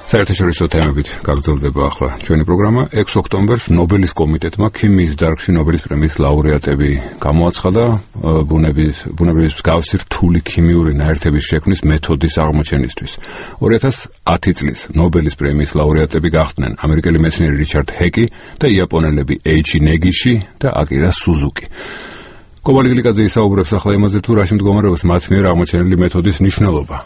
საერთაშორისო თემებით გაგრძელდება ახლა ჩვენი პროგრამა. 6 ოქტომბერს ნობელის კომიტეტმა ქიმიის დარგში ნობელის პრემიის ლაურეატები გამოაცხადა ბუნების მსგავსი რთული ქიმიური ნაერთების შექმნის მეთოდის აღმოჩენისთვის. 2010 წლის ნობელის პრემიის ლაურეატები გახდნენ ამერიკელი მეცნიერი რიჩარდ ჰეკი და იაპონელები ეიჩი ნეგიში და აკირა სუზუკი. კობალი გლიკაძე ისაუბრებს ახლა იმაზე, თუ რაში მდგომარეობს მათ მიერ აღმოჩენილი მეთოდის მნიშვნელობა.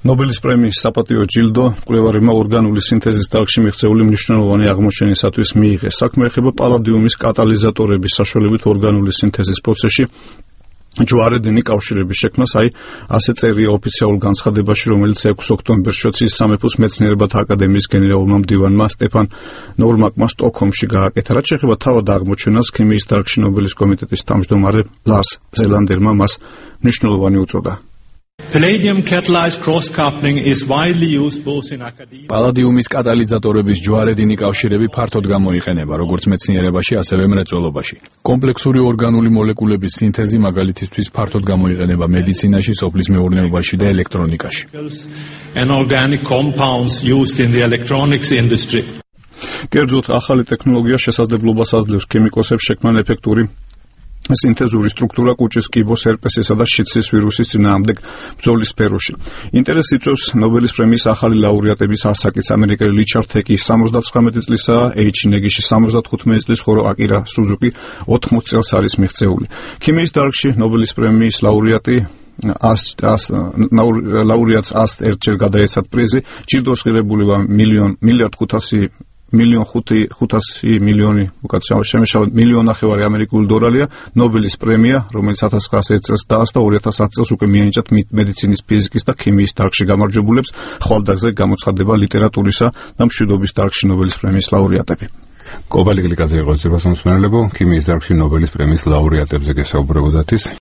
ნობელის პრემიის საპატიო ჯილდო მკვლევარებმა ორგანული სინთეზის დარგში მიღწეული მნიშვნელოვანი აღმოჩენისათვის მიიღეს. საქმე ეხება პალადიუმის კატალიზატორების საშუალებით ორგანული სინთეზის პროცესში ჯვარედინი კავშირების შექმნას, ასე წერია ოფიციალურ განცხადებაში, რომელიც 6 ოქტომბერს შოცის სამეფოს მეცნიერებათა აკადემიის გენერალურმა მდივანმა სტეფან ნორმაკმა სტოკჰოლმში გააკეთა. რაც შეეხება თავად აღმოჩენას, ქიმიის დარგში ნობელის კომიტეტის თავმჯდომარე ლარს ზელანდერმა მას მნიშვნელოვანი უწოდა. პალადიუმის კატალიზატორების ჯვარედინი კავშირები ფართოდ გამოიყენება როგორც მეცნიერებაში, ასევე მრეწველობაში. კომპლექსური ორგანული მოლეკულების სინთეზი მაგალითისთვის ფართოდ გამოიყენება მედიცინაში, სოფლის მეურნეობაში და ელექტრონიკაში. კერძოდ, ახალი ტექნოლოგია შესაძლებლობას აძლევს ქიმიკოსებს შექმნან ეფექტური სინთეზური სტრუქტურა კუჭის კიბოს, ჰერპესისა და შიცის ვირუსის წინააღმდეგ ბრძოლის სფეროში. ინტერესს იწვევს ნობელის პრემიის ახალი ლაურეატების ასაკიც. ამერიკელი რიჩარდ ჰეკი 79 წლისაა, ეიჩი ნეგიში 75 წლის, ხოლო აკირა სუზუკი 80 წელს არის მიღწეული. ქიმიის დარგში ნობელის პრემიის ლაურეატს 101 გადაეცათ პრიზი. ჯილდოს ღირებულება $1.5 ამერიკული დოლარია. ნობელის პრემია, რომელიც 1901 წელს დაასწრო, 2010 წელს უკვე მიენიჭათ მედიცინის, ფიზიკის და ქიმიის დარგში გამარჯვებულებს. ხვალდაგზე გამოცხადება ლიტერატურისა და მშვიდობის დარგში ნობელის პრემიის ლაურეატები. კობალი გლიკაძე იყო ზირვასამსმენელებო, ქიმიის დარგში ნობელის პრემიის ლაურეატებზე გესაუბრებოდათ.